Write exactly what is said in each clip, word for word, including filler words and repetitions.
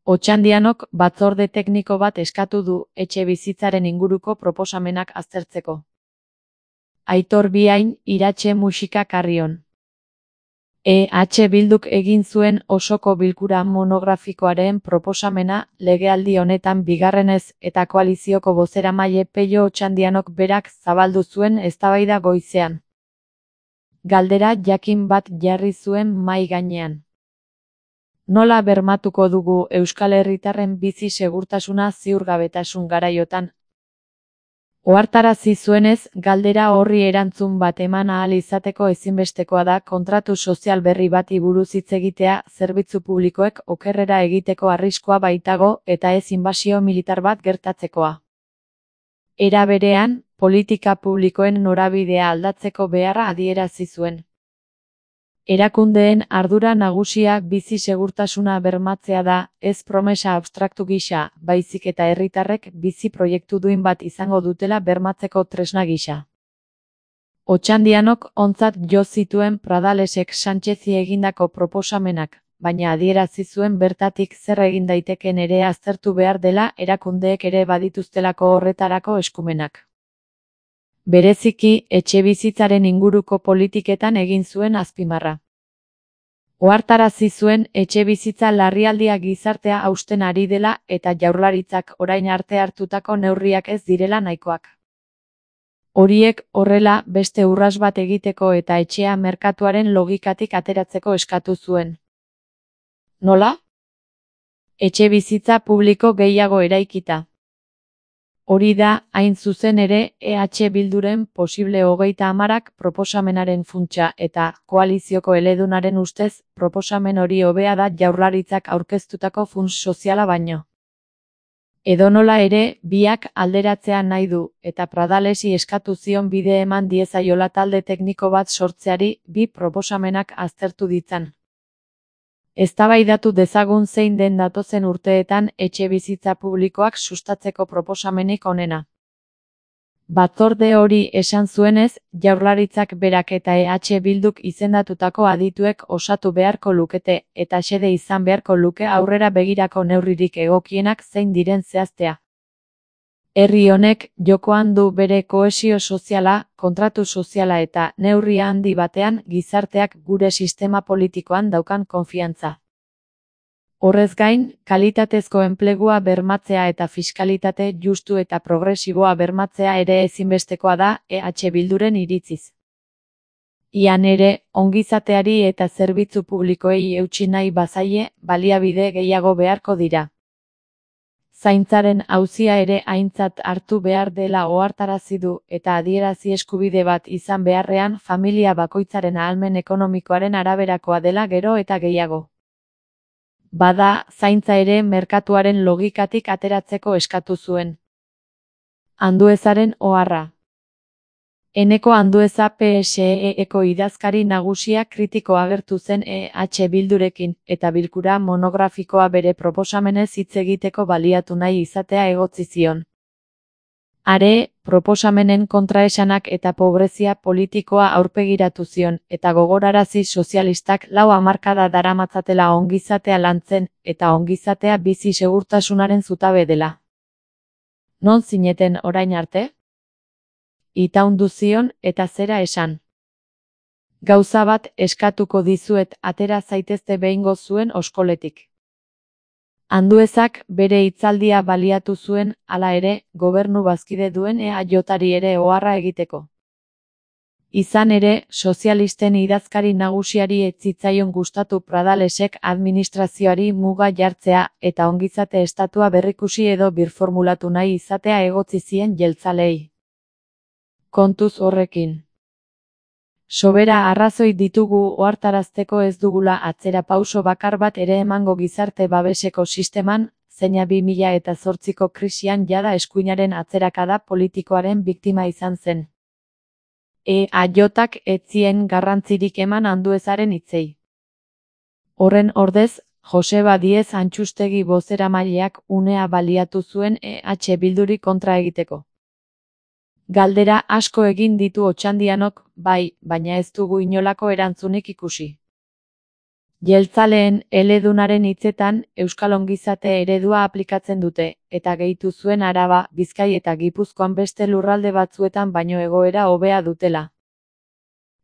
Otxandianok batzorde tekniko bat eskatu du etxebizitzaren inguruko proposamenak aztertzeko. Aitor Biain, Iratxe Musika Karrion. E H Bilduk egin zuen osoko bilkura monografikoaren proposamena legealdi honetan bigarrenez eta koalizioko bozeramaile Pello Otxandianok berak zabaldu zuen eztabaida goizean. Galdera jakin bat jarri zuen mahai gainean. Nola bermatuko dugu Euskal Herritarren bizi segurtasuna ziurgabetasun garaiotan? Ohartarazi zuenez, galdera horri erantzun bat eman ahal izateko ezinbestekoa da kontratu sozial berri bati buruz hitz egitea zerbitzu publikoek okerrera egiteko arriskua baitago eta ez inbasio militar bat gertatzekoa. Era berean, politika publikoen norabidea aldatzeko beharra adierazi zuen. Erakundeen ardura nagusia bizi segurtasuna bermatzea da, ez promesa abstraktu gisa, baizik eta herritarrek bizi proiektu duin bat izango dutela bermatzeko tresna gisa. Otxandianok ontzat jo zituen Pradalesek Sánchezi egindako proposamenak, baina adierazi zuen bertatik zer egin daiteken ere aztertu behar dela erakundeek ere badituztelako horretarako eskumenak. Bereziki, etxebizitzaren inguruko politiketan egin zuen azpimarra. Ohartarazi zuen etxebizitza larrialdia gizartea hausten ari dela eta Jaurlaritzak orain arte hartutako neurriak ez direla nahikoak. Horiek horrela beste urrats bat egiteko eta etxea merkatuaren logikatik ateratzeko eskatu zuen. Nola? Etxebizitza publiko gehiago eraikita. Hori da, hain zuzen ere, E H Bilduren posible hogeita hamarak proposamenaren funtsa eta koalizioko eledunaren ustez proposamen hori hobea da Jaurlaritzak aurkeztutako funts soziala baino. Edonola ere, biak alderatzea nahi du eta Pradalesi eskatu zion bide eman diezaiola talde tekniko bat sortzeari bi proposamenak aztertu ditzan. Eztabaidatu dezagun zein den datozen urteetan etxebizitza publikoak sustatzeko proposamenik onena. Batzorde hori esan zuenez, Jaurlaritzak berak eta E H Bilduk izendatutako adituek osatu beharko lukete eta xede izan beharko luke aurrera begirako neurririk egokienak zein diren zehaztea. Herri honek jokoan du bere kohesio soziala, kontratu soziala eta neurri handi batean gizarteak gure sistema politikoan daukan konfiantza. Horrez gain, kalitatezko enplegua bermatzea eta fiskalitate justu eta progresiboa bermatzea ere ezinbestekoa da E H Bilduren iritziz. Ian ere, ongizateari eta zerbitzu publikoei eutsi nahi bazaie, baliabide gehiago beharko dira. Zaintzaren auzia ere aintzat hartu behar dela ohartarazi du eta adierazi eskubide bat izan beharrean familia bakoitzaren ahalmen ekonomikoaren araberakoa dela gero eta gehiago. Bada, zaintza ere merkatuaren logikatik ateratzeko eskatu zuen. Anduezaren oharra. Eneko Andueza P S E-eko idazkari nagusia kritiko agertu zen E H Bildurekin eta bilkura monografikoa bere proposamenez hitz egiteko baliatu nahi izatea egotzi zion. Are, proposamenen kontraesanak eta pobrezia politikoa aurpegiratu zion eta gogorarazi sozialistak lau hamarkada daramatzatela ongizatea lantzen eta ongizatea bizi segurtasunaren zutabe dela. Non zineten orain arte? Itaundu zion eta zera esan. Gauza bat eskatuko dizuet atera zaitezte behingo zuen oskoletik. Anduezak bere hitzaldia baliatu zuen, hala ere, gobernu bazkide duen E A Jari ere oharra egiteko. Izan ere, sozialisten idazkari nagusiari ez zitzaion gustatu Pradalesek administrazioari muga jartzea eta ongizate estatua berrikusi edo birformulatu nahi izatea egotzi zien jeltzalei. Kontuz horrekin. Sobera arrazoi ditugu ohartarazteko ez dugula atzera pauso bakar bat ere emango gizarte babeseko sisteman, zeina bi mila eta zortziko krisian jada eskuinaren atzerakada politikoaren biktima izan zen. E A Jak ez zien garrantzirik eman Anduezaren hitzei. Horren ordez, Joseba Diez Antxustegi bozeramaileak unea baliatu zuen E H Bilduri kontra egiteko. Galdera asko egin ditu Otxandianok, bai, baina ez dugu inolako erantzunik ikusi. Jeltzaleen eledunaren hitzetan euskal ongizate eredua aplikatzen dute, eta gehitu zuen Araba, Bizkai eta Gipuzkoan beste lurralde batzuetan baino egoera hobea dutela.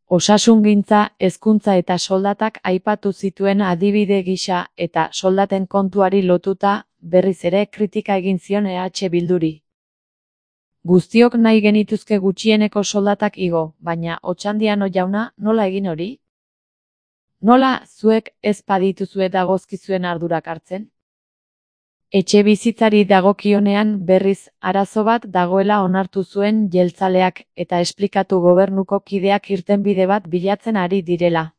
Osasungintza, hezkuntza eta soldatak aipatu zituen adibide gisa eta soldaten kontuari lotuta, berriz ere kritika egin zion E H Bilduri. Guztiok nahi genituzke gutxieneko soldatak igo, baina Otxandiano jauna, nola egin hori? Nola, zuek ez badituzue dagozkizuen ardurak hartzen? Etxe bizitzari dagokionean berriz arazo bat dagoela onartu zuen jeltzaleak eta esplikatu gobernuko kideak irtenbide bat bilatzen ari direla.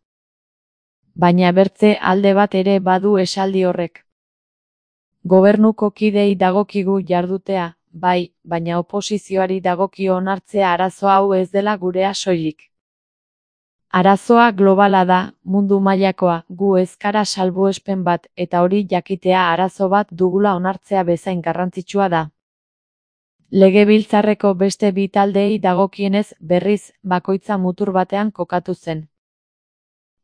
Baina bertze alde bat ere badu esaldi horrek. Gobernuko kidei dagokigu jardutea, bai, baina oposizioari dagokio onartzea arazo hau ez dela gurea soilik. Arazoa globala da, mundu mailakoa, gu ez gara salbuespen bat eta hori jakitea arazo bat dugula onartzea bezain garrantzitsua da. Legebiltzarreko beste bi taldeei dagokienez berriz bakoitza mutur batean kokatu zen.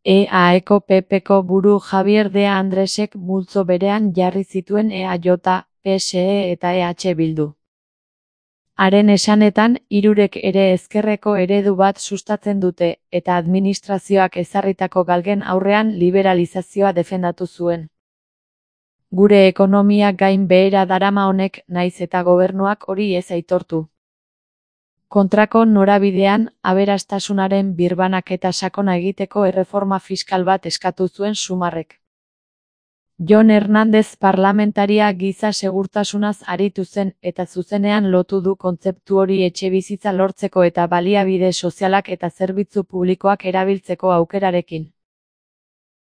E A-eko P P-ko buru Javier de Andresek multzo berean jarri zituen E A J, P S E eta E H Bildu. Haren esanetan, hirurek ere ezkerreko eredu bat sustatzen dute, eta administrazioak ezarritako galgen aurrean liberalizazioa defendatu zuen. Gure ekonomia gain behera darama honek naiz eta gobernuak hori ez aitortu. Kontrako norabidean, aberastasunaren birbanaketa sakona egiteko erreforma fiskal bat eskatu zuen Sumarrek. Jon Hernández parlamentaria giza segurtasunaz aritu zen eta zuzenean lotu du kontzeptu hori etxebizitza lortzeko eta baliabide sozialak eta zerbitzu publikoak erabiltzeko aukerarekin.